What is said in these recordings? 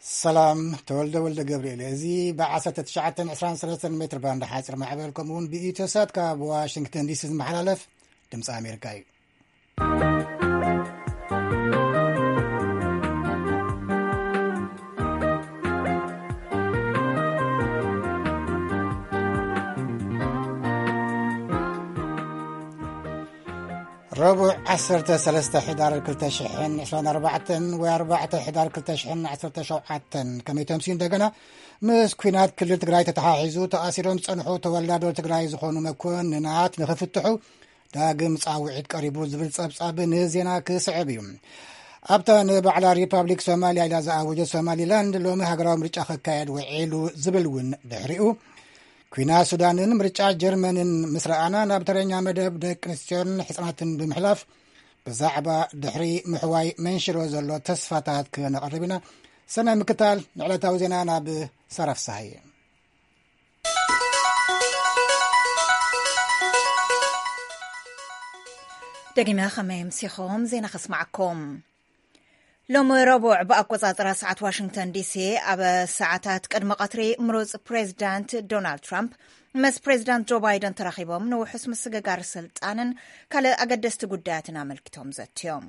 ሰላም፣ ተወልደ ወልደ ገብርኤል። እዚ ብ19 23 ሜትር ባንድ ሓፂር ማዕበል፣ ከምኡ እውን ብኢትዮ ሳት ካብ ዋሽንግተን ዲሲ ዝመሓላለፍ ድምፂ ኣሜሪካ እዩ። ረቡዕ 13 ሕዳር 2024 ወይ 4 ሕዳር 2017፣ ከመይ ተምሲ እንደገና፣ ምስ ኩናት ክልል ትግራይ ተተሓሒዙ ተኣሲሮም ዝጸንሑ ተወላዶ ትግራይ ዝኾኑ መኮንናት ንኽፍትሑ ዳግም ጻውዒት ቀሪቡ ዝብል ጸብጻብ ንዜና ክስዕብ እዩ። ኣብታ ንባዕላ ሪፓብሊክ ሶማሊያ ኢላ ዝኣወጀት ሶማሊላንድ ሎሚ ሃገራዊ ምርጫ ክካየድ ውዒሉ ዝብል እውን ድሕሪኡ፣ ኩናት ሱዳንን ምርጫ ጀርመንን ምስ ረኣና፣ ናብ ተረኛ መደብ ደቂ ኣንስትዮን ሕጻናትን ብምሕላፍ፣ ብዛዕባ ድሕሪ ምሕዋይ መንሽሮ ዘሎ ተስፋታት ክነቕርብ ኢና። ሰናይ ምክታል። ንዕለታዊ ዜና ናብ ሳራ ፍስሃየ። ደጊመ ከመይ ኣምሲኹም ዜና ከስማዓኩም። ሎሚ ረቡዕ ብኣቆጻጽራ ሰዓት ዋሽንግተን ዲሲ፣ ኣብ ሰዓታት ቅድሚ ቀትሪ፣ ምሩጽ ፕሬዚዳንት ዶናልድ ትራምፕ ምስ ፕሬዚዳንት ጆ ባይደን ተራኺቦም ንውሑስ ምስግጋር ስልጣንን ካልእ ኣገደስቲ ጉዳያትን ኣመልኪቶም ዘትዮም።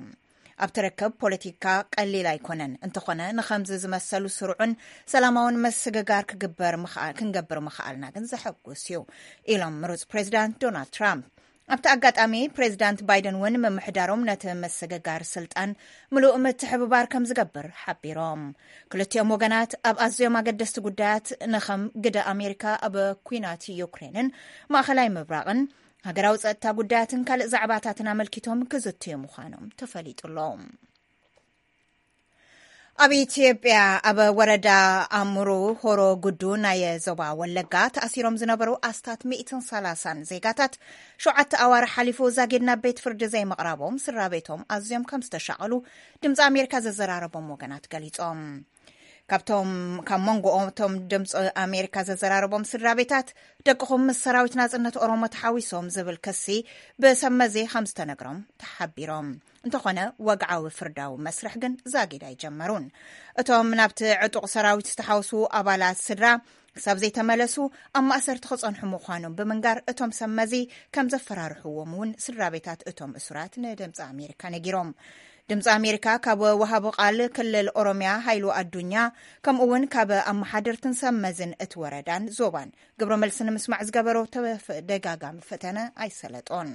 ኣብቲ ርክብ ፖለቲካ ቀሊል ኣይኮነን፣ እንተኾነ ንኸምዚ ዝመሰሉ ስሩዕን ሰላማውን ምስግጋር ክግበር ምኽኣ-፣ ክንገብር ምኽኣልና ግን ዘሐጉስ እዩ፣ ኢሎም ምሩጽ ፕሬዚዳንት ዶናልድ ትራምፕ። ኣብቲ ኣጋጣሚ፣ ፕሬዚዳንት ባይደን እውን ምምሕዳሮም ነቲ ምስግጋር ስልጣን ምሉእ ምትሕብባር ከም ዝገብር ሓቢሮም። ክልቲኦም ወገናት ኣብ ኣዝዮም ኣገደስቲ ጉዳያት፣ ንኸም ግደ ኣሜሪካ ኣብ ኲናት ዩክሬንን ማእኸላይ ምብራቕን፣ ሃገራዊ ጸጥታ ጉዳያትን ካልእ ዛዕባታትን ኣመልኪቶም ክዝትዩ ምዃኖም ተፈሊጡ ኣሎ። ኣብ ኢትዮጵያ፣ ኣብ ወረዳ ኣምሩ ሆሮ ጉዱ ናይ ዞባ ወለጋ፣ ተኣሲሮም ዝነበሩ ኣስታት 130 ዜጋታት፣ ሸውዓተ ኣዋርሕ ሓሊፉ ዛጊድ ናብ ቤት ፍርዲ ዘይምቕራቦም፣ ስድራ ቤቶም ኣዝዮም ከም ዝተሻቐሉ ድምፂ ኣሜሪካ ዘዘራረቦም ወገናት ገሊጾም። ካብቶም፣ ካብ መንጎ እቶም ድምፂ ኣሜሪካ ዘዘራረቦም ስድራ ቤታት፣ ደቅኹም ምስ ሰራዊት ናጽነት ኦሮሞ ተሓዊሶም ዝብል ክሲ ብሰብ መዚ ከም ዝተነግሮም ተሓቢሮም። እንተኾነ፣ ወግዓዊ ፍርዳዊ መስርሕ ግን ዛጊድ ኣይጀመሩን። እቶም ናብቲ ዕጡቕ ሰራዊት ዝተሓወሱ ኣባላት ስድራ ክሳብ ዘይተመለሱ ኣብ ማእሰርቲ ክጸንሑ ምዃኖም ብምንጋር፣ እቶም ሰብ መዚ ከም ዘፈራርሕዎም እውን ስድራ ቤታት እቶም እሱራት ንድምፂ ኣሜሪካ ነጊሮም። ድምፂ ኣሜሪካ ካብ ወሃቢ ቃል ክልል ኦሮሚያ ሃይሉ ኣዱኛ፣ ከምኡ እውን ካብ ኣመሓደርትን ሰብ መዝን እቲ ወረዳን ዞባን ግብረ መልሲ ንምስማዕ ዝገበሮ ተደጋጋሚ ፈተነ ኣይሰለጦን።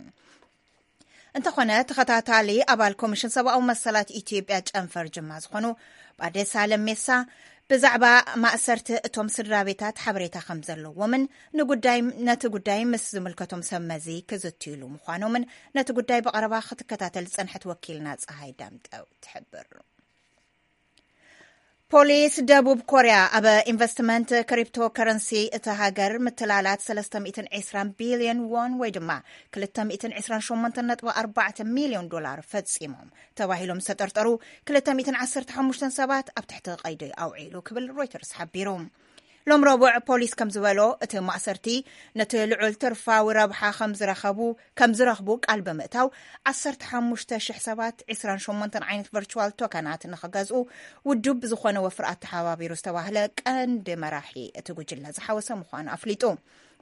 እንተኾነ፣ ተኸታታሊ ኣባል ኮሚሽን ሰብኣዊ መሰላት ኢትዮጵያ ጨንፈር ጅማ ዝኾኑ ባደሳ ለሜሳ፣ ብዛዕባ ማእሰርቲ እቶም ስድራ ቤታት ሓበሬታ ከም ዘለዎምን ንጉዳይ፣ ነቲ ጉዳይ ምስ ዝምልከቶም ሰብ መዚ ክዝትዩሉ ምዃኖምን ነቲ ጉዳይ ብቐረባ ክትከታተል ዝጸንሐት ወኪልና ጸሃይ ዳምጠው ትሕብር። ፖሊስ ደቡብ ኮርያ ኣብ ኢንቨስትመንት ክሪፕቶ ከረንሲ እታ ሃገር ምትላላት 320 ቢልዮን ዎን ወይ ድማ 228.4 ሚልዮን ዶላር ፈጺሞም ተባሂሎም ዝተጠርጠሩ 215 ሰባት ኣብ ትሕቲ ቀይዲ ኣውዒሉ ክብል ሮይተርስ ሓቢሩ። ሎም ረቡዕ ፖሊስ ከም ዝበሎ፣ እቲ ማእሰርቲ ነቲ ልዑል ትርፋዊ ረብሓ ከም ዝረኸቡ፣ ከም ዝረኽቡ ቃል ብምእታው፣ 15,000 ሰባት 28 ዓይነት ቨርቹዋል ቶከናት ንኽገዝኡ ውዱብ ዝኾነ ወፍሪ ኣተሓባቢሩ ዝተባህለ ቀንዲ መራሒ እቲ ጉጅለ ዝሓወሰ ምዃኑ ኣፍሊጡ።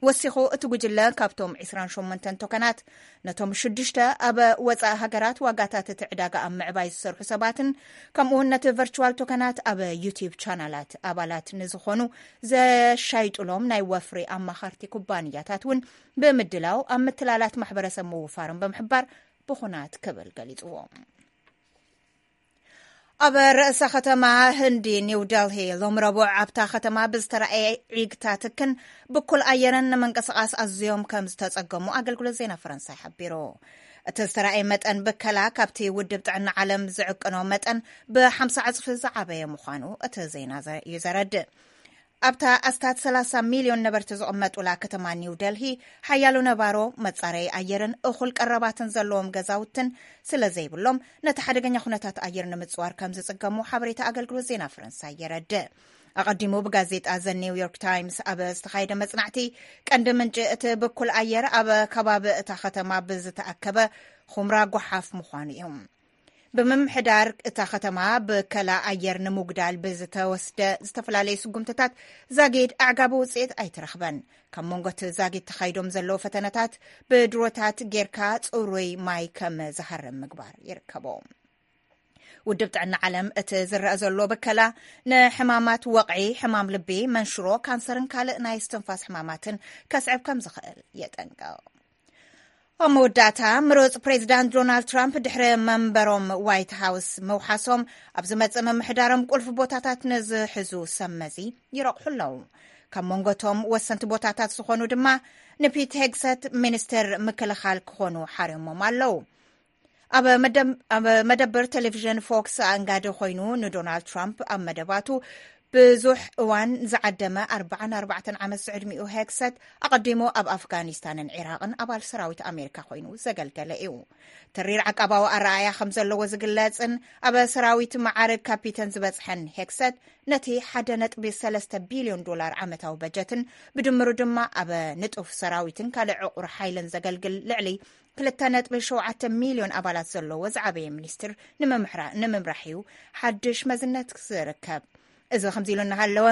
ወሲኹ፣ እቲ ጉጅለ ካብቶም 28 ቶከናት፣ ነቶም ሽዱሽተ ኣብ ወጻኢ ሃገራት ዋጋታት እቲ ዕዳጋ ኣብ ምዕባይ ዝሰርሑ ሰባትን፣ ከምኡውን ነቲ ቨርቹዋል ቶከናት ኣብ ዩቲዩብ ቻናላት ኣባላት ንዝኾኑ ዘሻይጡሎም ናይ ወፍሪ ኣማኸርቲ ኩባንያታት እውን ብምድላው ኣብ ምትላላት ማሕበረሰብ ምውፋሮም ብምሕባር ብኹናት ክብል ገሊጽዎ። ኣብ ርእሰ ከተማ ህንዲ ኒው ደልሂ ሎም ረቡዕ ኣብታ ከተማ ብዝተረኣየ ዒግታ ትክን ብኩል ኣየርን ንምንቅስቓስ ኣዝዮም ከም ዝተጸገሙ ኣገልግሎት ዜና ፈረንሳይ ሓቢሩ። እቲ ዝተረኣየ መጠን ብከላ ካብቲ ውድብ ጥዕና ዓለም ዝዕቅኖ መጠን ብ50 ዕጽፊ ዝዓበየ ምዃኑ እቲ ዜና ዘ-፣ እዩ ዘረድእ። ኣብታ ኣስታት 30 ሚልዮን ነበርቲ ዝቕመጡላ ከተማ ኒው ደልሂ፣ ሓያሎ ነባሮ መጻረዪ ኣየርን እኹል ቀረባትን ዘለዎም ገዛውትን ስለ ዘይብሎም፣ ነቲ ሓደገኛ ኩነታት ኣየር ንምጽዋር ከም ዝጽገሙ ሓበሬታ ኣገልግሎት ዜና ፈረንሳይ የረድእ። ኣቐዲሙ ብጋዜጣ ዘ ኒውዮርክ ታይምስ ኣብ ዝተኻየደ መጽናዕቲ፣ ቀንዲ ምንጪ እቲ ብኩል ኣየር ኣብ ከባቢ እታ ከተማ ብዝተኣከበ ኹምራ ጓሓፍ ምዃኑ እዩ። ብምምሕዳር እታ ከተማ ብከላ ኣየር ንምጉዳል ብዝተወስደ ዝተፈላለዩ ስጉምትታት ዛጊድ ኣዕጋቢ ውፅኢት ኣይተረኽበን። ካብ መንጎ እቲ ዛጊድ ተኻይዶም ዘለዉ ፈተነታት ብድሮታት ጌርካ ፅሩይ ማይ ከም ዝሃርም ምግባር ይርከቦ። ውድብ ጥዕና ዓለም እቲ ዝረአ ዘሎ ብከላ ንሕማማት ወቕዒ፣ ሕማም ልቢ፣ መንሽሮ፣ ካንሰርን ካልእ ናይ እስትንፋስ ሕማማትን ከስዕብ ከም ዝኽእል የጠንቅቕ። ኣብ መወዳእታ፣ ምሩጽ ፕሬዚዳንት ዶናልድ ትራምፕ ድሕሪ መንበሮም ዋይት ሃውስ ምውሓሶም፣ ኣብ ዝመጽእ ምምሕዳሮም ቁልፊ ቦታታት ንዝሕዙ ሰብ መዚ ይረቑሑ ኣለዉ። ካብ መንጎቶም ወሰንቲ ቦታታት ዝኾኑ ድማ ንፒት ሄግሰት ሚኒስትር ምክልኻል ክኾኑ ሓርዮሞም ኣለዉ። ኣብ መደብ-፣ ኣብ መደብር ቴሌቪዥን ፎክስ ኣእንጋዲ ኮይኑ ንዶናልድ ትራምፕ ኣብ መደባቱ ብዙሕ እዋን ዝዓደመ ኣርባዓን ኣርባዕተን ዓመት ዝዕድሚኡ ሄግሰት ኣቐዲሙ ኣብ ኣፍጋኒስታንን ዒራቕን ኣባል ሰራዊት ኣሜሪካ ኮይኑ ዘገልገለ እዩ። ተሪር ዓቃባዊ ኣረኣእያ ከም ዘለዎ ዝግለጽን ኣብ ሰራዊት መዓርግ ካፒተን ዝበጽሐን ሄግሰት ነቲ ሓደ ነጥቢ ሰለስተ ቢልዮን ዶላር ዓመታዊ በጀትን ብድምሩ ድማ ኣብ ንጡፍ ሰራዊትን ካልእ ዕቑር ሓይልን ዘገልግል ልዕሊ ክልተ ነጥቢ ሸውዓተ ሚልዮን ኣባላት ዘለዎ ዝዓበየ ሚኒስትር ንምምሕራ-፣ ንምምራሕ እዩ ሓድሽ መዝነት ዝርከብ። እዚ ከምዚ ኢሉ እናሃለወ፣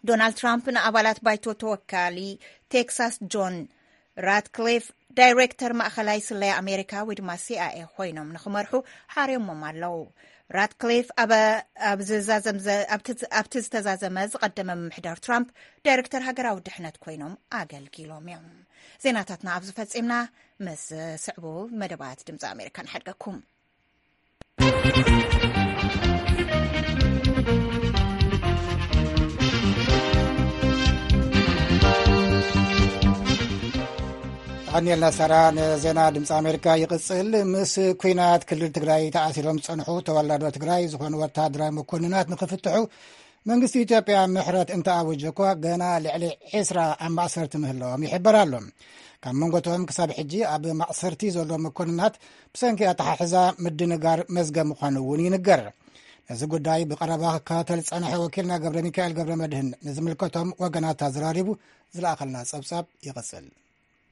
ዶናልድ ትራምፕ ንኣባላት ባይቶ ተወካሊ ቴክሳስ ጆን ራትክሊፍ ዳይሬክተር ማእኸላይ ስለያ ኣሜሪካ ወይ ድማ ሲ ኣይ ኤ ኮይኖም ንክመርሑ ሓርዮሞም ኣለዉ። ራትክሊፍ ኣብ፣ ኣብ ዝዛዘም ዘ-፣ ኣብቲ፣ ኣብቲ ዝተዛዘመ ዝቐደመ ምምሕዳር ትራምፕ ዳይሬክተር ሃገራዊ ድሕነት ኮይኖም ኣገልጊሎም እዮም። ዜናታትና ኣብዚ ፈጺምና። ምስ ስዕቡ መደባት ድምፂ ኣሜሪካ ንሓድገኩም። ኣቐንየልና ሳራ። ንዜና ድምፂ ኣሜሪካ ይቕፅል። ምስ ኩናት ክልል ትግራይ ተኣሲሮም ዝፀንሑ ተወላዶ ትግራይ ዝኾኑ ወታደራዊ መኮንናት ንክፍትሑ መንግስቲ ኢትዮጵያ ምሕረት እንተኣወጀ እኳ፣ ገና ልዕሊ ዕስራ ኣብ ማእሰርቲ ምህላዎም ይሕበር ኣሎ። ካብ መንጎቶም ክሳብ ሕጂ ኣብ ማእሰርቲ ዘሎ መኮንናት ብሰንኪ ኣተሓሕዛ ምድንጋር መዝገብ ምዃኑ እውን ይንገር። ነዚ ጉዳይ ብቐረባ ክከታተል ዝጸንሐ ወኪልና ገብረ ሚካኤል ገብረ መድህን ንዝምልከቶም ወገናት ኣዘራሪቡ ዝለኣኸልና ጸብጻብ ይቕጽል።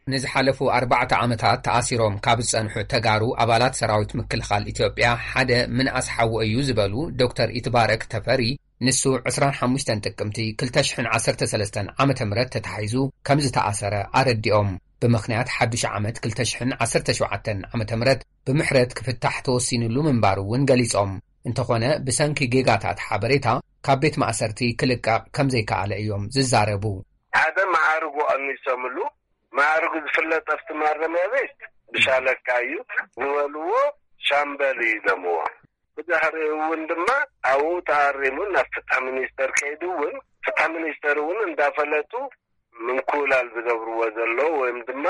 ንዝሓለፉ ኣርባዕተ ዓመታት ተኣሲሮም ካብ ዝጸንሑ ተጋሩ ኣባላት ሰራዊት ምክልኻል ኢትዮጵያ ሓደ ምንኣስ ሓዉ እዩ ዝበሉ ዶክተር ኢትባረክ ተፈሪ፣ ንሱ ዕስራን ሓሙሽተን ጥቅምቲ ክልተ ሽሕን ዓሰርተ ሰለስተን ዓመተ ምህረት ተታሒዙ ከም ዝተኣሰረ ኣረዲኦም። ብምኽንያት ሓዱሽ ዓመት ክልተ ሽሕን ዓሰርተ ሸውዓተን ዓመተ ምህረት ብምሕረት ክፍታሕ ተወሲኑሉ ምንባሩ እውን ገሊጾም። እንተኾነ፣ ብሰንኪ ጌጋታት ሓበሬታ ካብ ቤት ማእሰርቲ ክልቀቕ ከም ዘይከኣለ እዮም ዝዛረቡ። ሓደ መዓርጉ ቀኒሶምሉ። መዓርጉ ዝፍለጥ ኣብቲ ማረሚያ ቤት ብሻለቃ እዩ ዝበልዎ፣ ሻምበል እዩ ኢሎምዎ። ብድሕሪኡ እውን ድማ ኣብኡ ተኣሪሙ ናብ ፍትሒ ሚኒስተር ከይዱ እውን ፍትሒ ሚኒስተር እውን እንዳፈለጡ ምንኩላል ዝገብርዎ ዘለዉ ወይም ድማ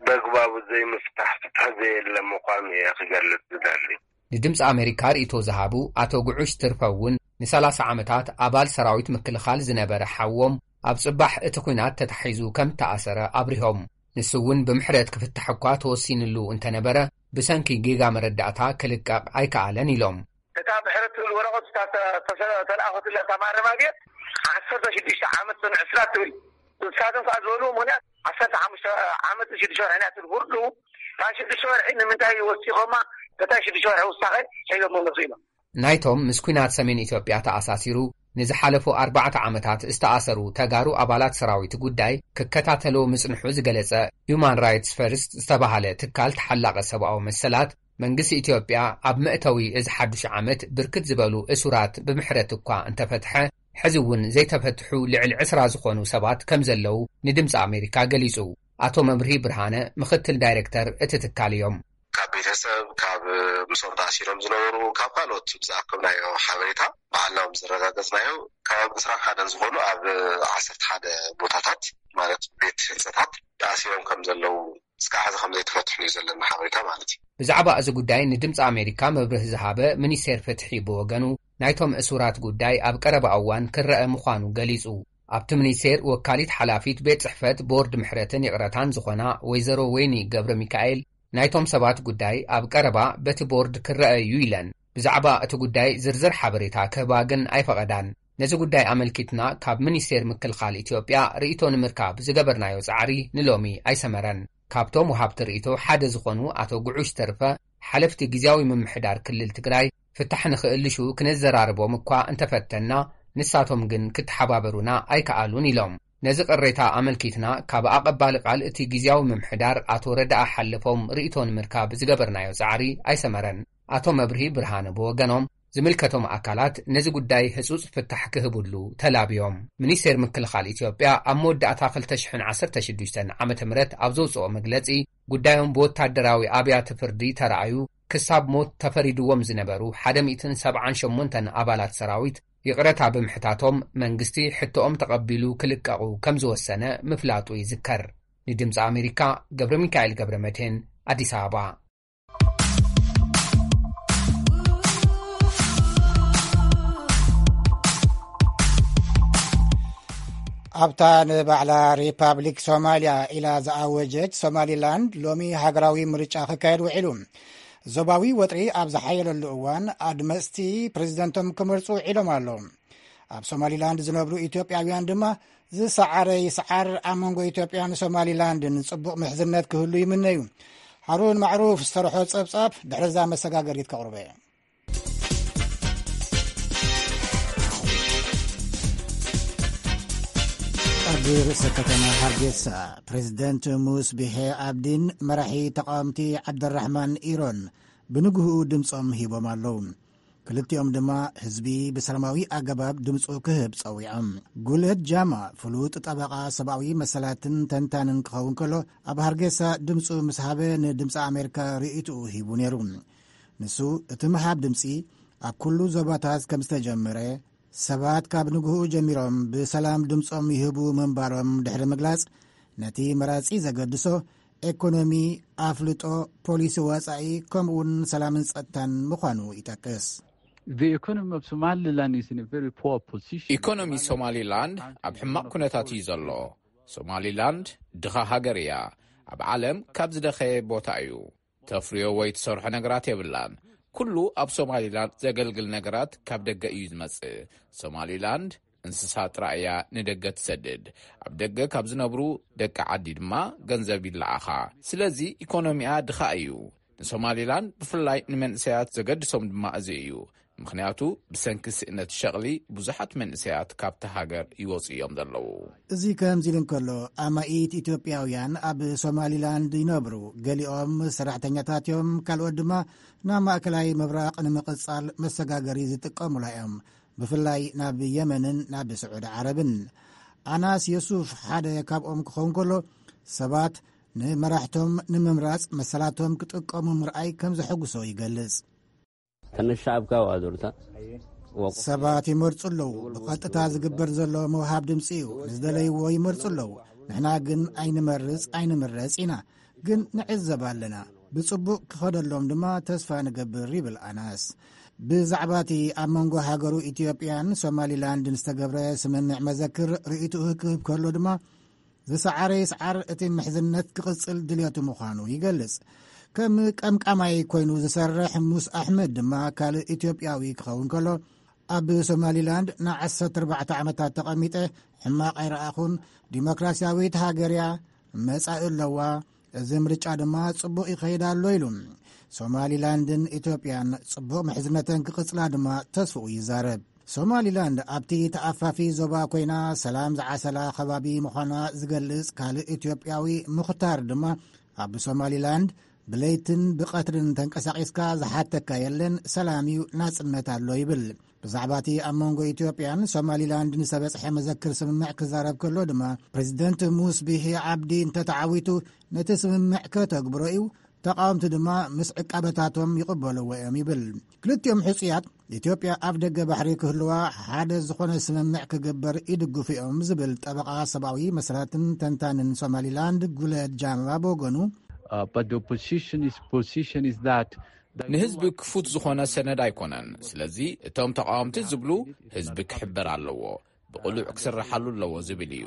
በግባቡ ዘይምፍታሕ ፍትሒ ዘየለ ምዃኑ እየ ክገልጽ ዝደሊ። ንድምፂ ኣሜሪካ ርእይቶ ዝሃቡ ኣቶ ጉዑሽ ትርፈ እውን ንሰላሳ ዓመታት ኣባል ሰራዊት ምክልኻል ዝነበረ ሓዎም ኣብ ጽባሕ እቲ ኲናት ተታሒዙ ከም እተኣሰረ ኣብሪሆም። ንሱ እውን ብምሕረት ክፍታሕ እኳ ተወሲንሉ እንተነበረ፣ ብሰንኪ ጌጋ መረዳእታ ክልቀቕ ኣይከኣለን ኢሎም። እታ ምሕረት ትብል ወረቐት እታ ተ-፣ ተሰ-፣ ተለኣኸትላ እታ ማረሚያ ቤት ዓሰርተ ሽዱሽተ ዓመት ጽንዕ ስራት ትብል። ንሳቶም ከኣ ዝበልዎ ምኽንያት ዓሰርተ ሓሙሽተ ዓመት ሽዱሽተ ወርሒ ናት ፍርዱ። እታ ሽዱሽተ ወርሒ ንምንታይ ወሲኾማ? እታ ሽዱሽተ ወርሒ ውሳኸ ሒዞሞ መጹ ኢሎም። ናይቶም ምስ ኲናት ሰሜን ኢትዮጵያ ተኣሳሲሩ ንዝሓለፉ ኣርባዕተ ዓመታት ዝተኣሰሩ ተጋሩ ኣባላት ሰራዊት ጉዳይ ክከታተሎ ምጽንሑ ዝገለጸ ሁማን ራይትስ ፈርስት ዝተባህለ ትካል ተሓላቒ ሰብኣዊ መሰላት፣ መንግስቲ ኢትዮጵያ ኣብ መእተዊ እዚ ሓዱሽ ዓመት ብርክት ዝበሉ እሱራት ብምሕረት እኳ እንተፈትሐ፣ ሕዚ እውን ዘይተፈትሑ ልዕሊ ዕስራ ዝኾኑ ሰባት ከም ዘለዉ ንድምፂ ኣሜሪካ ገሊጹ። ኣቶ መብርሂ ብርሃነ ምኽትል ዳይሬክተር እቲ ትካል እዮም። ካብ ቤተሰብ፣ ካብ ምስኦም ተኣሲሮም ዝነበሩ፣ ካብ ካልኦት ብዝኣከብናዮ ሓበሬታ፣ ባዕልና ምስ ዘረጋገጽናዮ፣ ካብ ዕስራን ሓደን ዝኾኑ ኣብ ዓሰርተ ሓደ ቦታታት፣ ማለት ቤት ህንጸታት ተኣሲሮም ከም ዘለዉ፣ እስካዕ ሕዚ ከም ዘይተፈትሑ እዩ ዘለና ሓበሬታ ማለት እዩ። ብዛዕባ እዚ ጉዳይ ንድምፂ ኣሜሪካ መብርሂ ዝሃበ ሚኒስቴር ፍትሒ ብወገኑ፣ ናይቶም እሱራት ጉዳይ ኣብ ቀረባ እዋን ክረአ ምዃኑ ገሊጹ። ኣብቲ ሚኒስቴር ወካሊት ሓላፊት ቤት ጽሕፈት ቦርድ ምሕረትን ይቕረታን ዝኾና ወይዘሮ ወይኒ ገብረ ሚካኤል፣ ናይቶም ሰባት ጉዳይ ኣብ ቀረባ በቲ ቦርድ ክረአ እዩ ኢለን። ብዛዕባ እቲ ጉዳይ ዝርዝር ሓበሬታ ክህባ ግን ኣይፈቐዳን። ነዚ ጉዳይ ኣመልኪትና ካብ ሚኒስቴር ምክልኻል ኢትዮጵያ ርእይቶ ንምርካብ ዝገበርናዮ ጻዕሪ ንሎሚ ኣይሰመረን። ካብቶም ወሃብቲ ርእይቶ ሓደ ዝኾኑ ኣቶ ጉዑሽ ተርፈ፣ ሓለፍቲ ግዝያዊ ምምሕዳር ክልል ትግራይ ፍታሕ ንኽእልሹ ክንዘራርቦም እኳ እንተፈተና፣ ንሳቶም ግን ክተሓባበሩና ኣይከኣሉን ኢሎም። ነዚ ቅሬታ ኣመልኪትና ካብ ኣቐባሊ ቃል እቲ ግዝያዊ ምምሕዳር ኣቶ ረዳኣ ሓለፎም ርእይቶ ንምርካብ ዝገበርናዮ ጻዕሪ ኣይሰመረን። ኣቶ መብርሂ ብርሃነ ብወገኖም፣ ዝምልከቶም ኣካላት ነዚ ጉዳይ ህጹጽ ፍታሕ ክህብሉ ተላብዮም። ሚኒስቴር ምክልኻል ኢትዮጵያ ኣብ መወዳእታ ክልተ ሽሕን ዓሰርተ ሽዱሽተን ዓመተ ምህረት ኣብ ዘውጽኦ መግለጺ፣ ጉዳዮም ብወታደራዊ ኣብያተ ፍርዲ ተራእዩ ክሳብ ሞት ተፈሪድዎም ዝነበሩ ሓደ ሚእትን ሰብዓን ሸሞንተን ኣባላት ሰራዊት ይቕረታ ብምሕታቶም፣ መንግስቲ ሕቶኦም ተቐቢሉ ክልቀቑ ከም ዝወሰነ ምፍላጡ ይዝከር። ንድምፂ ኣሜሪካ፣ ገብረ ሚካኤል ገብረ መድህን፣ ኣዲስ ኣበባ። ኣብታ ንባዕላ ሪፓብሊክ ሶማልያ ኢላ ዝኣወጀት ሶማሊላንድ፣ ሎሚ ሃገራዊ ምርጫ ክካየድ ውዒሉ። ዞባዊ ወጥሪ ኣብ ዝሓየለሉ እዋን፣ ኣድመፅቲ ፕሬዚደንቶም ክመርፁ ውዒሎም ኣለዉ። ኣብ ሶማሊላንድ ዝነብሩ ኢትዮጵያውያን ድማ፣ ዝሰዓረ ይስዓር፣ ኣብ መንጎ ኢትዮጵያን ሶማሊላንድን ጽቡቕ ምሕዝነት ክህሉ ይምነዩ። ሃሩን ማዕሩፍ ዝተርሖ ጸብጻብ ድሕሪ እዛ መሰጋገሪት ከቕርቦ እየ። ኣብ ርእሰ ከተማ ሃርጌሳ፣ ፕሬዚደንት ሙስ ቢሄ ኣብዲን መራሒ ተቃወምቲ ዓብደራሕማን ኢሮን ብንግህኡ ድምጾም ሂቦም ኣለዉ። ክልቲኦም ድማ ህዝቢ ብሰላማዊ ኣገባብ ድምጹ ክህብ ጸዊዖም። ጉለት ጃማ፣ ፍሉጥ ጠበቓ ሰብኣዊ መሰላትን ተንታንን ክኸውን ከሎ፣ ኣብ ሃርጌሳ ድምጹ ምስ ሃበ፣ ንድምጺ ኣሜሪካ ርእይትኡ ሂቡ ነይሩ። ንሱ፣ እቲ ምሃብ ድምጺ ኣብ ኩሉ ዞባታት ከም ዝተጀመረ፣ ሰባት ካብ ንግህኡ ጀሚሮም ብሰላም ድምጾም ይህቡ ምንባሮም ድሕሪ ምግላጽ፣ ነቲ መራጺ ዘገድሶ ኤኮኖሚ፣ ኣፍልጦ፣ ፖሊሲ ወጻኢ፣ ከምኡውን ሰላምን ጸጥታን ምዃኑ ይጠቅስ። The economy of Somaliland is in a very poor position. ኢኮኖሚ ሶማሊላንድ ኣብ ሕማቕ ኩነታት እዩ ዘሎ። ሶማሊላንድ ድኻ ሃገር እያ። ኣብ ዓለም ካብ ዝደኸየ ቦታ እዩ። ተፍርዮ ወይ ትሰርሖ ነገራት የብላን። ኩሉ ኣብ ሶማሊላንድ ዘገልግል ነገራት ካብ ደገ እዩ ዝመጽእ። ሶማሊላንድ እንስሳ ጥራይ እያ ንደገ ትሰድድ። ኣብ ደገ ካብ ዝነብሩ ደቂ ዓዲ ድማ ገንዘብ ይለኣኻ። ስለዚ ኢኮኖሚኣ ድኻ እዩ። ንሶማሊላንድ ብፍላይ ንመንእሰያት ዘገድሶም ድማ እዚ እዩ። ምኽንያቱ ብሰንኪ ስእነት ሸቕሊ ብዙሓት መንእሰያት ካብቲ ሃገር ይወጹ እዮም ዘለዉ። እዚ ከምዚ ኢሉ እንከሎ፣ ኣማኢት ኢትዮጵያውያን ኣብ ሶማሊላንድ ይነብሩ። ገሊኦም ሰራሕተኛታት እዮም፣ ካልኦት ድማ ናብ ማእከላይ ምብራቕ ንምቕጻል መሰጋገሪ ዝጥቀሙላ እዮም። ብፍላይ ናብ የመንን ናብ ስዑዲ ዓረብን። ኣናስ የሱፍ ሓደ ካብኦም ክኸውን ከሎ፣ ሰባት ንመራሕቶም ንምምራጽ መሰላቶም ክጥቀሙ ምርኣይ ከም ዘሐጉሶ ይገልጽ። ተነሻብ ካብ ኣዶርታ ሰባት ይመርጹ ኣለዉ። ብቐጥታ ዝግበር ዘሎ ምውሃብ ድምጺ እዩ። ንዝደለይዎ ይመርጹ ኣለዉ። ንሕና ግን ኣይንመርጽ ኣይንምረጽ ኢና። ግን ንዕዘብ ኣለና። ብጽቡቕ ክኸደሎም ድማ ተስፋ ንገብር፣ ይብል ኣናስ። ብዛዕባ እቲ ኣብ መንጎ ሃገሩ ኢትዮጵያን ሶማሊላንድን ዝተገብረ ስምምዕ መዘክር ርእይትኡ ክህብ ከሎ ድማ፣ ዝሰዓረ ይስዓር፣ እቲ ምሕዝነት ክቕጽል ድልየቱ ምዃኑ ይገልጽ። ከም ቀምቃማይ ኮይኑ ዝሰርሕ ሙስ ኣሕመድ ድማ ካልእ ኢትዮጵያዊ ክኸውን ከሎ፣ ኣብ ሶማሊላንድ ንዓሰርተ ኣርባዕተ ዓመታት ተቐሚጠ፣ ሕማቕ ኣይረኣኹን። ዲሞክራሲያዊት ሃገር እያ፣ መጻኢ ኣለዋ። እዚ ምርጫ ድማ ጽቡቕ ይኸይድ ኣሎ ኢሉ። ሶማሊላንድን ኢትዮጵያን ጽቡቕ ምሕዝነተን ክቕጽላ ድማ ተስፍኡ ይዛረብ። ሶማሊላንድ ኣብቲ ተኣፋፊ ዞባ ኮይና ሰላም ዝዓሰላ ከባቢ ምዃና ዝገልጽ ካልእ ኢትዮጵያዊ ሙኽታር ድማ፣ ኣብ ሶማሊላንድ ብለይትን ብቐትርን ተንቀሳቒስካ ዝሓተካ የለን፣ ሰላም እዩ፣ ናጽነት ኣሎ ይብል። ብዛዕባ እቲ ኣብ መንጎ ኢትዮጵያን ሶማሊላንድን ዝተበጽሐ መዘክር ስምምዕ ክዛረብ ከሎ ድማ፣ ፕሬዚደንት ሙስ ቢሂ ዓብዲ እንተተዓዊቱ ነቲ ስምምዕ ከተግብሮ እዩ፣ ተቓወምቲ ድማ ምስ ዕቃበታቶም ይቕበልዎ እዮም ይብል። ክልቲኦም ሕጹያት፣ ኢትዮጵያ ኣብ ደገ ባሕሪ ክህልዋ ሓደ ዝኾነ ስምምዕ ክግበር ይድግፉ እዮም ዝብል ጠበቓ ሰብኣዊ መሰላትን ተንታንን ሶማሊላንድ ጉለድ ጃማ ብወገኑ፣ Uh, but the opposition is position is that ንህዝቢ ክፉት ዝኾነ ሰነድ ኣይኮነን። ስለዚ እቶም ተቓወምቲ ዝብሉ ህዝቢ ክሕበር ኣለዎ፣ ብቕሉዕ ክስርሓሉ ኣለዎ ዝብል እዩ።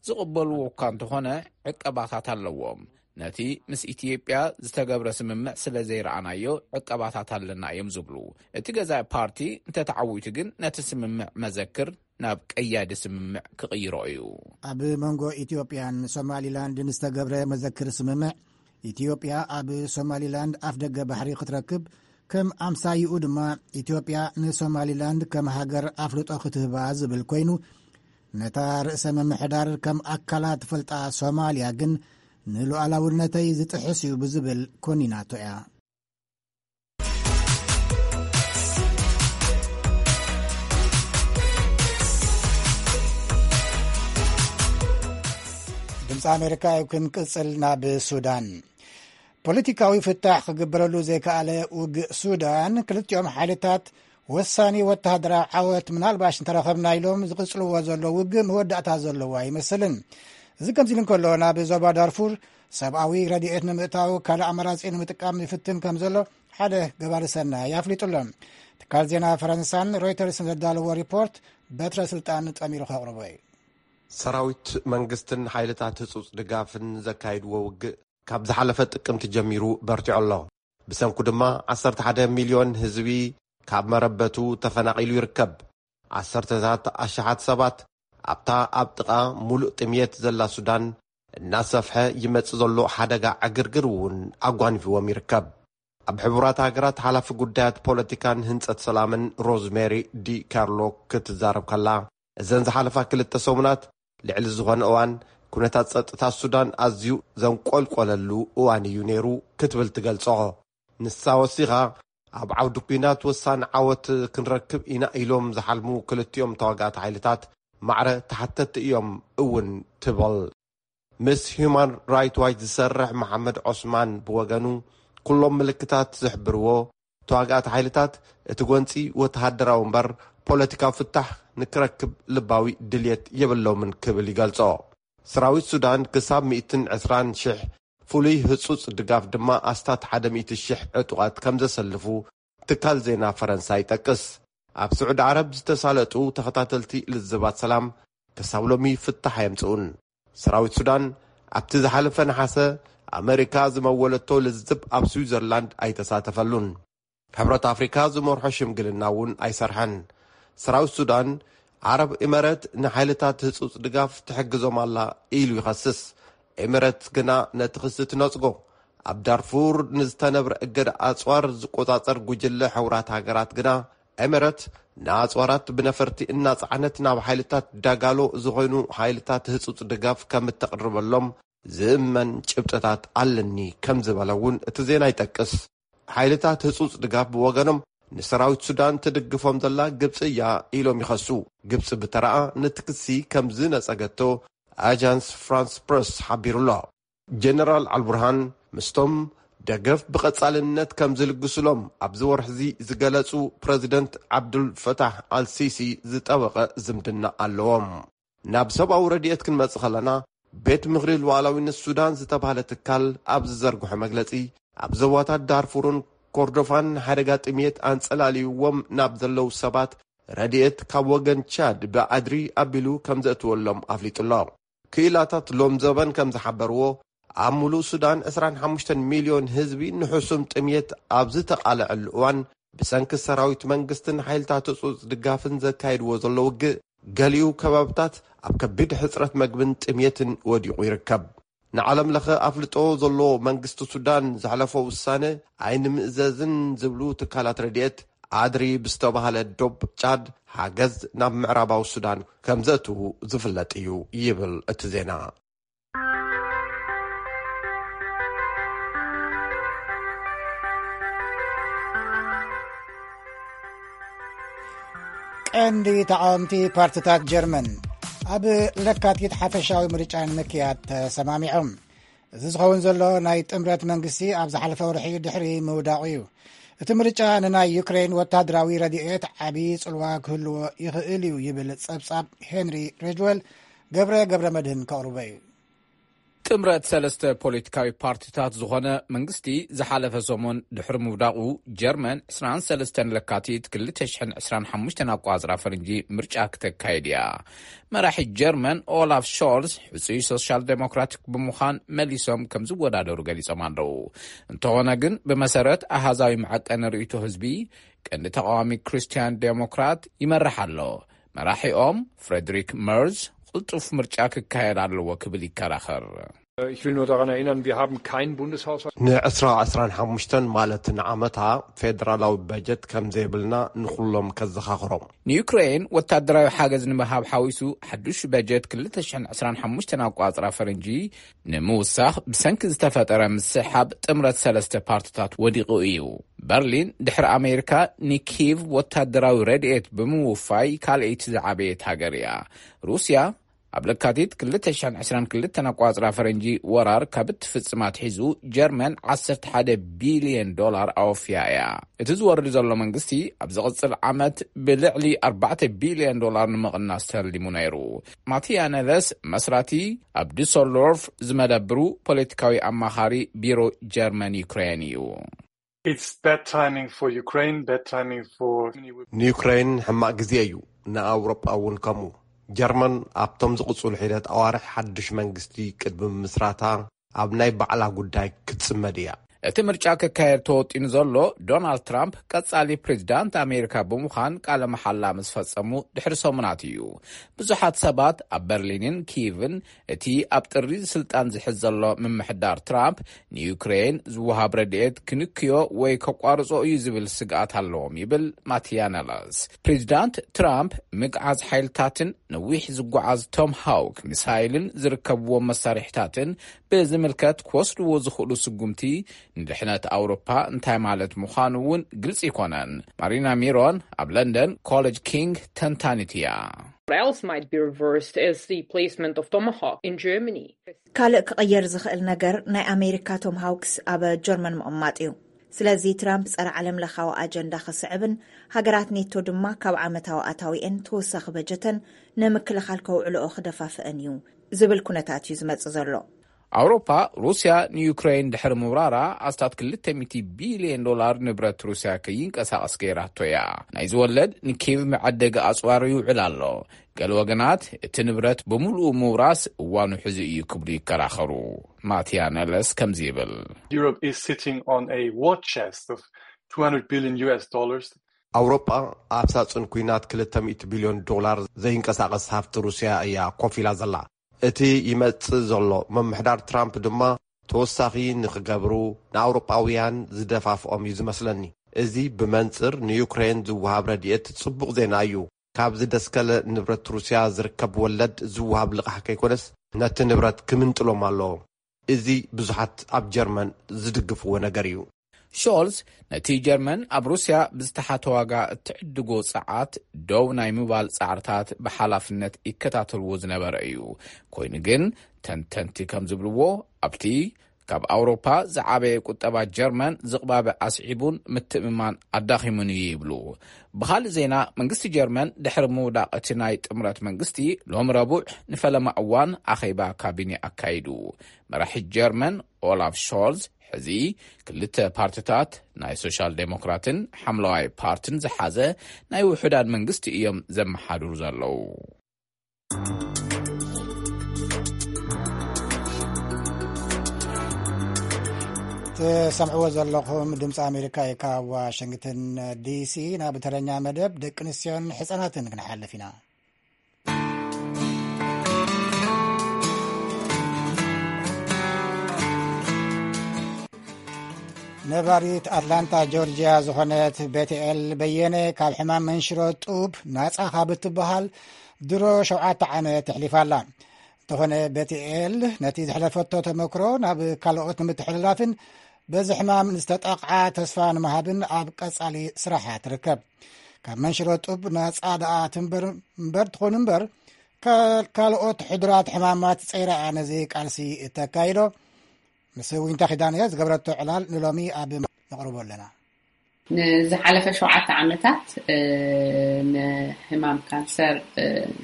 ዝቕበልዎ እኳ እንተኾነ ዕቀባታት ኣለዎም። ነቲ ምስ ኢትዮጵያ ዝተገብረ ስምምዕ ስለ ዘይረኣናዮ ዕቀባታት ኣለና እዮም ዝብሉ። እቲ ገዛኢ ፓርቲ እንተተዓዊቱ ግን ነቲ ስምምዕ መዘክር ናብ ቀያዲ ስምምዕ ክቕይሮ እዩ። ኣብ መንጎ ኢትዮጵያን ሶማሊላንድን ዝተገብረ መዘክር ስምምዕ ኢትዮጵያ ኣብ ሶማሊላንድ ኣፍደገ ባሕሪ ክትረክብ፣ ከም ኣምሳይኡ ድማ ኢትዮጵያ ንሶማሊላንድ ከም ሃገር ኣፍልጦ ክትህባ ዝብል ኮይኑ፣ ነታ ርእሰ ምምሕዳር ከም ኣካላ ትፈልጣ ሶማልያ ግን ንሉዓላውነተይ ዝጥሕስ እዩ ብዝብል ኮኒናቶ እያ። ድምፂ ኣሜሪካ እዩ። ክንቅፅል ናብ ሱዳን። ፖለቲካዊ ፍታሕ ክግበረሉ ዘይከኣለ ውግእ ሱዳን፣ ክልቲኦም ሓይልታት ወሳኒ ወተሃደራዊ ዓወት ምናልባሽ እንተረኸብና ኢሎም ዝቕጽልዎ ዘሎ ውግእ መወዳእታ ዘለዎ ኣይመስልን። እዚ ከምዚ ኢሉ እንከሎ፣ ናብ ዞባ ዳርፉር ሰብኣዊ ረድኤት ንምእታው ካልእ ኣማራጺ ንምጥቃም ይፍትን ከም ዘሎ ሓደ ገባሪ ሰናይ ኣፍሊጡ ኣሎ። ትካል ዜና ፈረንሳን ሮይተርስን ዘዳለዎ ሪፖርት በትረ ስልጣን ጠሚሩ ከቕርቦ እዩ። ሰራዊት መንግስትን ሓይልታት ህጹጽ ድጋፍን ዘካይድዎ ውግእ ካብ ዝሓለፈ ጥቅምቲ ጀሚሩ በርቲዑ ኣሎ። ብሰንኩ ድማ ዓሰርተ ሓደ ሚልዮን ህዝቢ ካብ መረበቱ ተፈናቒሉ ይርከብ። ዓሰርተታት ኣሽሓት ሰባት ኣብታ ኣብ ጥቓ ሙሉእ ጥምየት ዘላ ሱዳን እናሰፍሐ ይመጽእ ዘሎ ሓደጋ ዕግርግር እውን ኣጓኒፍዎም ይርከብ። ኣብ ሕቡራት ሃገራት ሓላፊ ጉዳያት ፖለቲካን ህንጸት ሰላምን ሮዝሜሪ ዲ ካርሎ ክትዛረብ ከላ፣ እዘን ዝሓለፋ ክልተ ሰሙናት ልዕሊ ዝኾነ እዋን ኩነታት ጸጥታ ሱዳን ኣዝዩ ዘንቆልቆለሉ እዋን እዩ ነይሩ ክትብል ትገልጾ። ንሳ ወሲኻ፣ ኣብ ዓውዲ ኲናት ወሳኒ ዓወት ክንረክብ ኢና ኢሎም ዝሓልሙ ክልቲኦም ተዋጋእቲ ሓይልታት ማዕረ ተሓተቲ እዮም እውን ትብል። ምስ ሂዩማን ራይት ዋች ዝሰርሕ መሓመድ ዖስማን ብወገኑ፣ ኩሎም ምልክታት ዝሕብርዎ፣ ተዋጋእቲ ሓይልታት እቲ ጎንጺ ወተሃደራዊ እምበር ፖለቲካዊ ፍታሕ ንክረክብ ልባዊ ድልየት የብሎምን ክብል ይገልጾ። ሰራዊት ሱዳን ክሳብ ሚእትን ዕስራን ሽሕ ፍሉይ ህጹጽ ድጋፍ ድማ ኣስታት ሓደ ሚእቲ ሽሕ ዕጡቓት ከም ዘሰልፉ ትካል ዜና ፈረንሳ ይጠቅስ። ኣብ ስዑዲ ዓረብ ዝተሳለጡ ተኸታተልቲ ልዝባት ሰላም ክሳብ ሎሚ ፍታሕ ኣየምጽኡን። ሰራዊት ሱዳን ኣብቲ ዝሓለፈ ነሓሰ ኣመሪካ ዝመወለቶ ልዝብ ኣብ ስዊዘርላንድ ኣይተሳተፈሉን። ሕብረት ኣፍሪካ ዝመርሖ ሽምግልና እውን ኣይሰርሐን። ሰራዊት ሱዳን፣ ዓረብ ኤመረት ንሓይልታት ህጹጽ ድጋፍ ትሕግዞም ኣላ ኢሉ ይኸስስ። ኤመረት ግና ነቲ ክሲ ትነጽጎ። ኣብ ዳርፉር ንዝተነብረ እገዳ ኣጽዋር ዝቆጻጸር ጉጅለ ሕቡራት ሃገራት ግና፣ ኤመረት ንኣጽዋራት ብነፈርቲ እናጸዓነት ናብ ሓይልታት ዳጋሎ ዝኾይኑ ሓይልታት ህጹጽ ድጋፍ ከም እተቕርበሎም ዝእመን ጭብጥታት ኣለኒ ከም ዝበለ እውን እቲ ዜና ይጠቅስ። ሓይልታት ህጹጽ ድጋፍ ብወገኖም ንሰራዊት ሱዳን ትድግፎም ዘላ ግብጺ እያ ኢሎም ይኸሱ። ግብጺ ብተራኣ ነቲ ክሲ ከም ዝነጸገቶ ኣጃንስ ፍራንስ ፕረስ ሓቢሩ ኣሎ። ጀነራል ኣልቡርሃን ምስቶም ደገፍ ብቐጻልነት ከም ዝልግሱሎም ኣብዚ ወርሒ እዚ ዝገለጹ ፕረዚደንት ዓብዱል ፈታሕ ኣልሲሲ ዝጠበቐ ዝምድና ኣለዎም። ናብ ሰብኣዊ ረድኤት ክንመጽእ ከለና፣ ቤት ምኽሪ ሉዓላዊነት ሱዳን ዝተባህለ ትካል ኣብ ዝዘርግሖ መግለጺ፣ ኣብ ዞባታት ዳርፉርን ኮርዶፋን ሓደጋ ጥምየት ኣንጸላልይዎም ናብ ዘለዉ ሰባት ረድኤት ካብ ወገን ቻድ ብኣድሪ ኣቢሉ ከም ዘእትወሎም ኣፍሊጡ ኣሎ። ክኢላታት ሎም ዘበን ከም ዝሓበርዎ፣ ኣብ ሙሉእ ሱዳን ዕስራን ሓሙሽተን ሚልዮን ህዝቢ ንሕሱም ጥምየት ኣብ ዝተቓልዐሉ እዋን፣ ብሰንኪ ሰራዊት መንግስትን ሓይልታት ህጹጽ ድጋፍን ዘካይድዎ ዘሎ ውግእ፣ ገሊኡ ከባብታት ኣብ ከቢድ ሕጽረት መግብን ጥምየትን ወዲቑ ይርከብ። ንዓለም ለኸ ኣፍልጦ ዘለዎ መንግስቲ ሱዳን ዘሕለፎ ውሳነ ኣይንምእዘዝን ዝብሉ ትካላት ረድኤት፣ ኣድሪ ብዝተባህለ ዶብ ጫድ ሓገዝ ናብ ምዕራባዊ ሱዳን ከም ዘእትዉ ዝፍለጥ እዩ ይብል እቲ ዜና። ቀንዲ ተቓወምቲ ፓርትታት ጀርመን ኣብ ለካቲት ሓፈሻዊ ምርጫ ንምክያድ ተሰማሚዖም። እዚ ዝኸውን ዘሎ ናይ ጥምረት መንግስቲ ኣብ ዝሓለፈ ወርሒ ድሕሪ ምውዳቑ እዩ። እቲ ምርጫ ንናይ ዩክሬን ወታደራዊ ረድኤት ዓቢ ጽልዋ ክህልዎ ይኽእል እዩ ይብል ጸብጻብ ሄንሪ ሬጅወል ገብረ ገብረ መድህን ከቕርቦ እዩ። ጥምረት ሰለስተ ፖለቲካዊ ፓርቲታት ዝኾነ መንግስቲ ዝሓለፈ ሰሙን ድሕሪ ምውዳቑ፣ ጀርመን ዕስራን ሰለስተን ለካቲት ክልተ ሽሕን ዕስራን ሓሙሽተን ኣቋጽራ ፈረንጂ ምርጫ ክተካይድ እያ። መራሒ ጀርመን ኦላፍ ሾልስ ሕጹይ ሶሻል ዴሞክራቲክ ብምዃን መሊሶም ከም ዝወዳደሩ ገሊጾም ኣለዉ። እንተኾነ ግን፣ ብመሰረት ኣሃዛዊ መዐቀኒ ርእይቶ ህዝቢ፣ ቀንዲ ተቓዋሚ ክርስትያን ዴሞክራት ይመርሕ ኣሎ። መራሒኦም ፍሬድሪክ መርዝ ቅልጡፍ ምርጫ ክካየድ ኣለዎ ክብል ይከራኸር። Ich will nur daran erinnern, wir haben keinen Bundeshaushalt. ንዕስራ ዕስራን ሓሙሽተን ማለት ንዓመታ ፌደራላዊ በጀት ከም ዘይብልና ንኹሎም ከዘኻኽሮም። ንዩክሬን ወታደራዊ ሓገዝ ንምሃብ ሓዊሱ ሓዱሽ በጀት ክልተ ሽሕን ዕስራን ሓሙሽተን ኣቋጽራ ፈረንጂ ንምውሳኽ ብሰንኪ ዝተፈጠረ ምስሓብ ጥምረት ሰለስተ ፓርትታት ወዲቑ እዩ። በርሊን ድሕሪ ኣሜሪካ ንኪቭ ወታደራዊ ረድኤት ብምውፋይ ካልኣይቲ ዝዓበየት ሃገር እያ። ሩስያ ኣብ ለካቲት ክልተ ሽሕን ዕስራን ክልተን ኣቋጽራ ፈረንጂ ወራር ካብ እትፍጽም ኣትሒዙ ጀርመን ዓሰርተ ሓደ ቢልዮን ዶላር ኣወፍያ እያ። እቲ ዝወርድ ዘሎ መንግስቲ ኣብ ዝቕጽል ዓመት ብልዕሊ ኣርባዕተ ቢልዮን ዶላር ንምቕናስ ተሊሙ ነይሩ። ማቲያ ነለስ መስራቲ ኣብ ዱሰልዶርፍ ዝመደብሩ ፖለቲካዊ ኣማኻሪ ቢሮ ጀርመን ዩክሬን እዩ። It's bad timing for Ukraine, bad timing for ንዩክሬን ሕማቕ ግዜ እዩ፣ ንኣውሮጳ እውን ከምኡ። ጀርመን ኣብቶም ዝቕጽሉ ሒደት ኣዋርሕ ሓድሽ መንግስቲ ቅድሚ ምስራታ ኣብ ናይ ባዕላ ጉዳይ ክትጽመድ እያ። እቲ ምርጫ ክካየድ ተወጢኑ ዘሎ ዶናልድ ትራምፕ ቀጻሊ ፕሬዚዳንት ኣሜሪካ ብምዃን ቃለ መሓላ ምስ ፈጸሙ ድሕሪ ሰሙናት እዩ። ብዙሓት ሰባት ኣብ በርሊንን ኪቭን እቲ ኣብ ጥሪ ስልጣን ዝሕዝ ዘሎ ምምሕዳር ትራምፕ ንዩክሬን ዝወሃብ ረድኤት ክንክዮ ወይ ከቋርጾ እዩ ዝብል ስግኣት ኣለዎም ይብል ማቲያ ነለስ። ፕሬዚዳንት ትራምፕ ምግዓዝ ሓይልታትን ነዊሕ ዝጓዓዝ ቶም ሃውክ ሚሳይልን ዝርከብዎም መሳርሒታትን ብዝምልከት ክወስድዎ ዝኽእሉ ስጉምቲ ንድሕነት ኣውሮፓ እንታይ ማለት ምዃኑ እውን ግልጺ ኣይኮነን። ማሪና ሚሮን ኣብ ለንደን ኮሌጅ ኪንግ ተንታኒት እያ። What else might be reversed is the placement of Tomahawk in Germany. ካልእ ክቕየር ዝኽእል ነገር ናይ ኣሜሪካ ቶም ሃውክስ ኣብ ጀርመን ምቕማጥ እዩ። ስለዚ ትራምፕ ጸረ ዓለም ለኻዊ ኣጀንዳ ክስዕብን ሃገራት ኔቶ ድማ ካብ ዓመታዊ ኣታዊአን ተወሳኺ በጀተን ንምክልኻል ከውዕልኦ ክደፋፍአን እዩ ዝብል ኩነታት እዩ ዝመጽእ ዘሎ። ኣውሮፓ ሩስያ ንዩክሬን ድሕሪ ምውራራ ኣስታት ክልተ ሚእቲ ቢልዮን ዶላር ንብረት ሩስያ ከይንቀሳቐስ ገይራቶ እያ። ናይ ዝወለድ ንኪቭ መዐደጊ ኣጽዋር ይውዕል ኣሎ። ገለ ወገናት እቲ ንብረት ብምሉኡ ምውራስ እዋኑ ሕዚ እዩ ክብሉ ይከራኸሩ። ማቲያ ነለስ ከምዚ ይብል። Europe is sitting on a war chest of two hundred billion U S dollars. ኣውሮጳ ኣብ ሳጹን ኲናት ክልተ ሚእቲ ቢልዮን ዶላር ዘይንቀሳቐስ ሃብቲ ሩስያ እያ ኮፍ ኢላ ዘላ። እቲ ይመጽእ ዘሎ ምምሕዳር ትራምፕ ድማ ተወሳኺ ንኽገብሩ ንኣውሮጳውያን ዝደፋፍኦም እዩ ዝመስለኒ። እዚ ብመንጽር ንዩክሬን ዝወሃብ ረድኤት ጽቡቕ ዜና እዩ። ካብ ዝደስከለ ንብረት ሩስያ ዝርከብ ወለድ ዝወሃብ ልቓሕ ከይኮነስ ነቲ ንብረት ክምንጥሎም ኣለዎ። እዚ ብዙሓት ኣብ ጀርመን ዝድግፍዎ ነገር እዩ። ሾልዝ ነቲ ጀርመን ኣብ ሩስያ ብዝተሓተ ዋጋ እትዕድጎ ጸዓት ደው ናይ ምባል ጻዕርታት ብሓላፍነት ይከታተልዎ ዝነበረ እዩ። ኮይኑ ግን ተንተንቲ ከም ዝብልዎ ኣብቲ ካብ ኣውሮፓ ዝዓበየ ቁጠባ ጀርመን ዝቕባበ ኣስዒቡን ምትእምማን ኣዳኺሙን እዩ ይብሉ። ብኻልእ ዜና መንግስቲ ጀርመን ድሕሪ ምውዳቕ እቲ ናይ ጥምረት መንግስቲ ሎም ረቡዕ ንፈለማ እዋን ኣኼባ ካቢኔ ኣካይዱ። መራሒ ጀርመን ኦላፍ ሾልዝ ሕዚ ክልተ ፓርትታት ናይ ሶሻል ዴሞክራትን ሓምለዋይ ፓርትን ዝሓዘ ናይ ውሑዳን መንግስቲ እዮም ዘመሓድሩ ዘለዉ። ትሰምዕዎ ዘለኹም ድምፂ ኣሜሪካ እዩ። ካብ ዋሽንግተን ዲሲ ናብ ተረኛ መደብ ደቂ ኣንስትዮን ሕፃናትን ክንሓልፍ ኢና። ነባሪት ኣትላንታ ጆርጅያ ዝኾነት ቤትኤል በየነ ካብ ሕማም መንሽሮ ጡብ ናፃ ካብ እትበሃል ድሮ ሸውዓተ ዓመት ኣሕሊፋ ኣላ። እንተኾነ ቤትኤል ነቲ ዘሕለፈቶ ተመክሮ ናብ ካልኦት ንምትሕልላፍን በዚ ሕማም ንዝተጠቕዓ ተስፋ ንምሃብን ኣብ ቀጻሊ ስራሓ ትርከብ። ካብ መንሽሮ ጡብ ናጻ ደኣ ትንበር እምበር ትኾን እምበር፣ ካልኦት ሕዱራት ሕማማት ጸይራ እያ ነዚ ቃልሲ እተካይዶ። ምስ ዊንታ ኪዳነ ዝገብረቶ ዕላል ንሎሚ ኣብ ነቕርቦ ኣለና። ንዝሓለፈ ሸውዓተ ዓመታት ንሕማም ካንሰር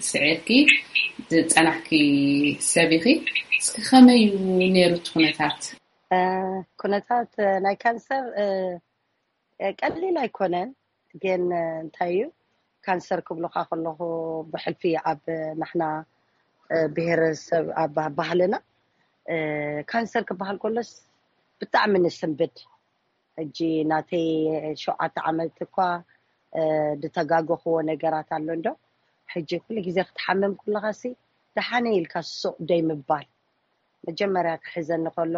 ስዒርኪ ዝፀናሕኪ ሰብ ኢኺ። እስኪ ከመይ እዩ ነይሩ እቲ ኩነታት? ኩነታት ናይ ካንሰር ቀሊል ኣይኮነን፣ ግን እንታይ እዩ ካንሰር ክብሉካ ከለኹ ብሕልፊ ኣብ ናሕና ብሄረሰብ ኣብ ባህልና ካንሰር ክበሃል ከሎስ ብጣዕሚ ንስንብድ። ሕጂ ናተይ ሸውዓተ ዓመት እኳ ዝተጋገኽዎ ነገራት ኣሎ እንዶ፣ ሕጂ ኩሉ ግዜ ክትሓምም ከለኻሲ ደሓነ ኢልካ ሱቕ ደይ ምባል። መጀመርያ ክሕዘኒ ከሎ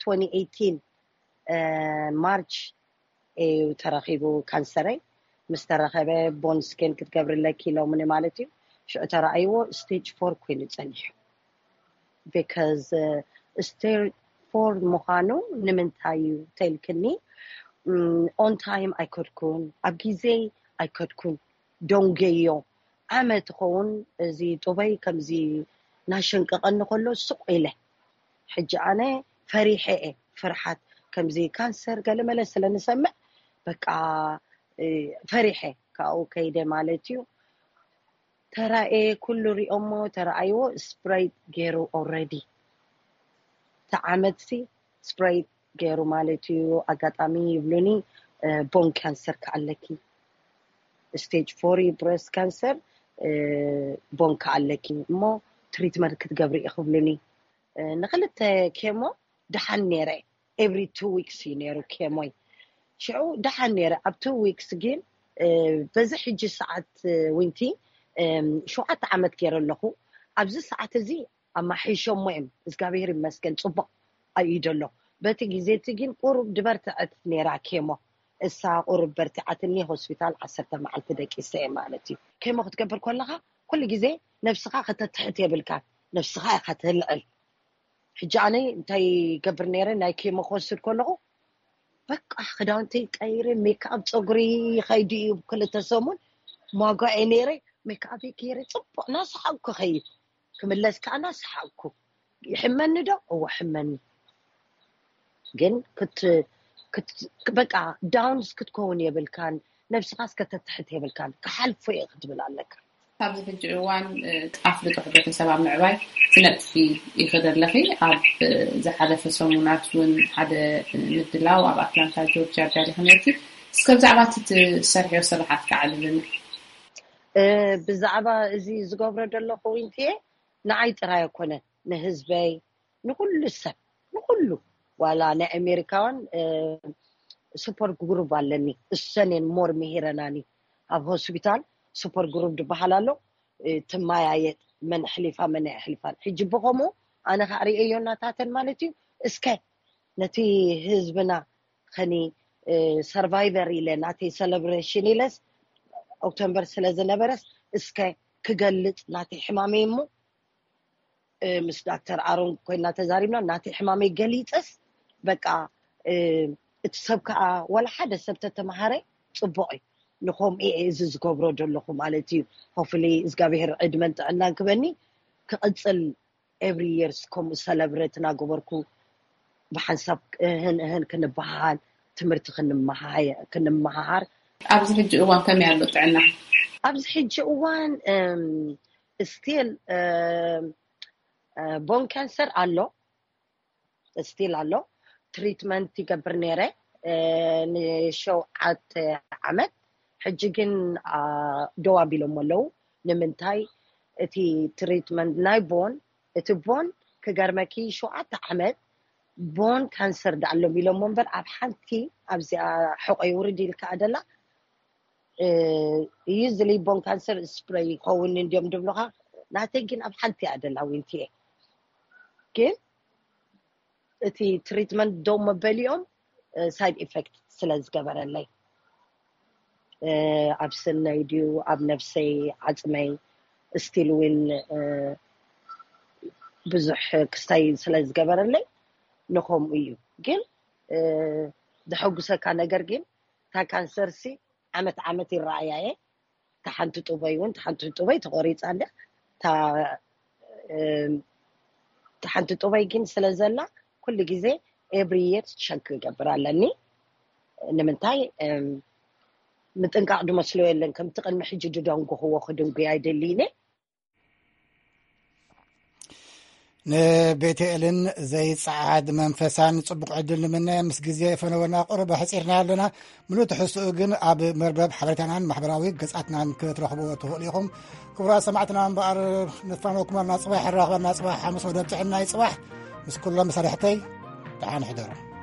twenty eighteen ማርች እዩ ተረኺቡ ካንሰረይ። ምስ ተረኸበ ቦን ስኬን ክትገብርለኪ ኢሎምኒ ማለት እዩ። ሽዑ ተረኣይዎ ስቴጅ ፎር ኮይኑ ጸኒሑ። ቢካዝ ስቴጅ ፎር ምዃኑ ንምንታይ እዩ ተልክኒ? ኦን ታይም ኣይከድኩን፣ ኣብ ግዜ ኣይከድኩን፣ ደንጎዮ። ዓመት ኸውን እዚ ጡበይ ከምዚ ናሸንቀቐኒ ከሎ ስቕ ኢለ። ሕጂ ኣነ ፈሪሐ እየ። ፍርሓት ከምዚ ካንሰር ገለመለ ስለ ንሰምዕ በቃ ፈሪሐ ካብኡ ከይደ ማለት እዩ። ተራኤ ኩሉ ሪኦሞ ተረኣይዎ ስፕሬይ ገይሩ ኦረዲ ተዓመትሲ ስፕሬይ ገይሩ ማለት እዩ። ኣጋጣሚ ይብሉኒ ቦን ካንሰር ከኣለኪ፣ ስቴጅ ፎር ብረስት ካንሰር ቦን ከኣለኪ እሞ ትሪትመንት ክትገብሪ ኢኺ ክብሉኒ። ንክልተ ኬሞ ደሓን ነይረ። ኤቭሪ ቱ ዊክስ እዩ ነይሩ ኬሞይ። ሽዑ ደሓን ነይረ። ኣብ ቱ ዊክስ ግን በዚ ሕጂ ሰዓት ዊንቲ ሸውዓተ ዓመት ገይረ ኣለኹ። ኣብዚ ሰዓት እዚ ኣማሒሾሞ እዮም። እግዚኣብሔር ይመስገን ጽቡቕ ኣይደሎ። በቲ ግዜ እቲ ግን ቁሩብ ድበርትዐት ነይራ ኬሞ። እሳ ቁሩብ በርቲዓትኒ ሆስፒታል ዓሰርተ መዓልቲ ደቂሰ እየ ማለት እዩ። ኬሞ ክትገብር ከለኻ ኩሉ ግዜ ነብስኻ ከተትሕት የብልካን። ነብስኻ ኢኻ ተልዕል። ሕጂ ኣነ እንታይ ገብር ነይረ፣ ናይ ኬሞ ክወስድ ከለኹ በቃ ክዳውንቲ ቀይረ፣ ሜክኣፕ ጸጉሪ ይኸይድ እዩ። ክልተ ሰሙን ማጓኤ ነይረ፣ ሜክኣፕ ገይረ ጽቡቕ ናሰሓቅኩ ኸይድ። ክምለስ ከኣ ናሰሓቅኩ። ይሕመኒ ዶ? እወ ሕመኒ። ግን በቃ ዳውንስ ክትከውን የብልካን፣ ነብስኻስ ከተትሕት የብልካን። ክሓልፎ እየ ክትብል ኣለካ። ኣብዚ ሕጂ እዋን ኣፍልጦ ሕብረተሰብ ኣብ ምዕባይ ትነጥፊ ኢኺ ዘለኺ። ኣብ ዝሓለፈ ሰሙናት እውን ሓደ ምድላው ኣብ ኣትላንታ ጆርጅያ ኣዳሊኺ ነርኪ። እስከ ብዛዕባ እቲ ትሰርሕዮ ስራሓት ከዓልልና። ብዛዕባ እዚ ዝገብሮ ዘለኹ ዊንትየ ንዓይ ጥራይ ኣይኮነን፣ ንህዝበይ፣ ንኩሉ ሰብ፣ ንኩሉ። ዋላ ናይ ኣሜሪካውን ሱፐር ግሩፕ ኣለኒ፣ እሰን እየን ሞር ምሂረናኒ። ኣብ ሆስፒታል ሱፐር ግሩፕ ዝበሃል ኣሎ። ትመያየጥ፣ መን ኣሕሊፋ መን ኣየሕልፋን። ሕጂ ብኸምኡ ኣነ ከዓ ርእየዮ እናታተን ማለት እዩ። እስከ ነቲ ህዝብና ኸኒ ሰርቫይቨር ኢለ ናተይ ሰለብሬሽን ኢለስ ኦክቶምበር ስለ ዝነበረስ እስከ ክገልጽ ናተይ ሕማመይ እሞ ምስ ዳክተር ኣሮን ኮይና ተዛሪብና ናተይ ሕማመይ ገሊጸስ በቃ እቲ ሰብ ከዓ ወላ ሓደ ሰብ ተተምሃረ ጽቡቕ እዩ። ንኸምኡ እየ እዚ ዝገብሮ ዘለኹ ማለት እዩ። ሆፍሊ እግዚኣብሔር ዕድመን ጥዕናን ክበኒ ክቕጽል ኤቭሪ የርስ ከምኡ ሰለብሬት እናገበርኩ ብሓንሳብ እህን እህን ክንበሃሃል ትምህርቲ ክንመሃሃር። ኣብዚ ሕጂ እዋን ከመይ ኣሎ ጥዕና? ኣብዚ ሕጂ እዋን ስቲል ቦን ካንሰር ኣሎ፣ ስቲል ኣሎ። ትሪትመንት ይገብር ነይረ ንሸውዓተ ዓመት። ሕጂ ግን ደው ኣቢሎሞ ኣለዉ። ንምንታይ? እቲ ትሪትመንት ናይ ቦን፣ እቲ ቦን ክገርመኪ ሸውዓተ ዓመት ቦን ካንሰር ዳኣሎም ኢሎሞ እምበር ኣብ ሓንቲ ኣብዚኣ ሕቆይ ውርድ ኢልካ ኣደላ ዩዝሊ ቦን ካንሰር ስፕሬይ ይኸውን እንዲዮም ድብሉኻ። ናተይ ግን ኣብ ሓንቲ ኣደላ ዊንትየ ግን እቲ ትሪትመንት ደው መበሊኦም ሳይድ ኢፌክት ስለ ዝገበረለይ ኣብ ስነይ ድዩ ኣብ ነፍሰይ ዓፅመይ ስቲል ዊን ብዙሕ ክስታይ ስለ ዝገበረለይ ንኸምኡ እዩ። ግን ዘሐጉሰካ ነገር ግን እታ ካንሰር ሲ ዓመት ዓመት ይረኣያ እየ። እታ ሓንቲ ጡበይ እውን እታ ሓንቲ ጡበይ ተቆሪፃ እንደ እታ ሓንቲ ጡበይ ግን ስለ ዘላ ኩሉ ግዜ ኤቭሪ የር ሸክ ክገብር ኣለኒ። ንምንታይ ምጥንቃቕ ድመስሎ የለን። ከምቲ ቅድሚ ሕጂ ድደንጉኽዎ ክድንጉ ኣይደልይነ። ንቤተኤልን ዘይጸዓድ መንፈሳን ጽቡቕ ዕድል ንምነ። ምስ ግዜ ፈነወና ቁሩብ ኣሕጺርና ኣለና። ምሉእ ትሕዝትኡ ግን ኣብ መርበብ ሓበሬታናን ማሕበራዊ ገጻትናን ክትረኽብዎ ትኽእሉ ኢኹም። ክቡራት ሰማዕትና እምበኣር ንፋነወኩም ኣና ጽባሕ፣ ንራኸበና ጽባሕ፣ ሓሙስ መደብ ጥዕና እዩ ጽባሕ። ምስ ኩሎም መሳርሕተይ ደሓን ሕደሩ።